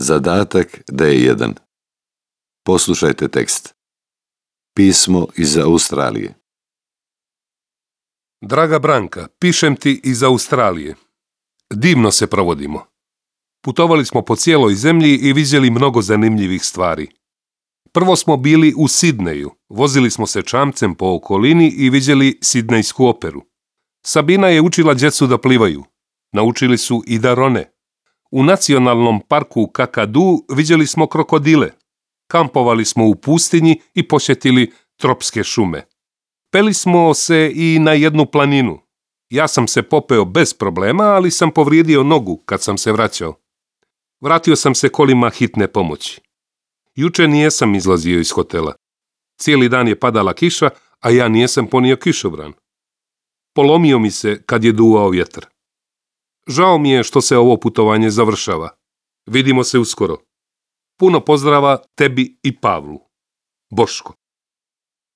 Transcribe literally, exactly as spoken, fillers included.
Zadatak D jedan. Poslušajte tekst. Pismo iz Australije. Draga Branka, pišem ti iz Australije. Divno se provodimo. Putovali smo po cijeloj zemlji i vidjeli mnogo zanimljivih stvari. Prvo smo bili u Sidneju, vozili smo se čamcem po okolini i vidjeli sidnejsku operu. Sabina je učila djecu da plivaju. Naučili su i da rone. U nacionalnom parku Kakadu vidjeli smo krokodile. Kampovali smo u pustinji i posjetili tropske šume. Peli smo se i na jednu planinu. Ja sam se popeo bez problema, ali sam povrijedio nogu kad sam se vraćao. Vratio sam se kolima hitne pomoći. Juče nijesam izlazio iz hotela. Cijeli dan je padala kiša, a ja nijesam ponio kišobran. Polomio mi se kad je duvao vjetar. Žao mi je što se ovo putovanje završava. Vidimo se uskoro. Puno pozdrava tebi i Pavlu. Boško.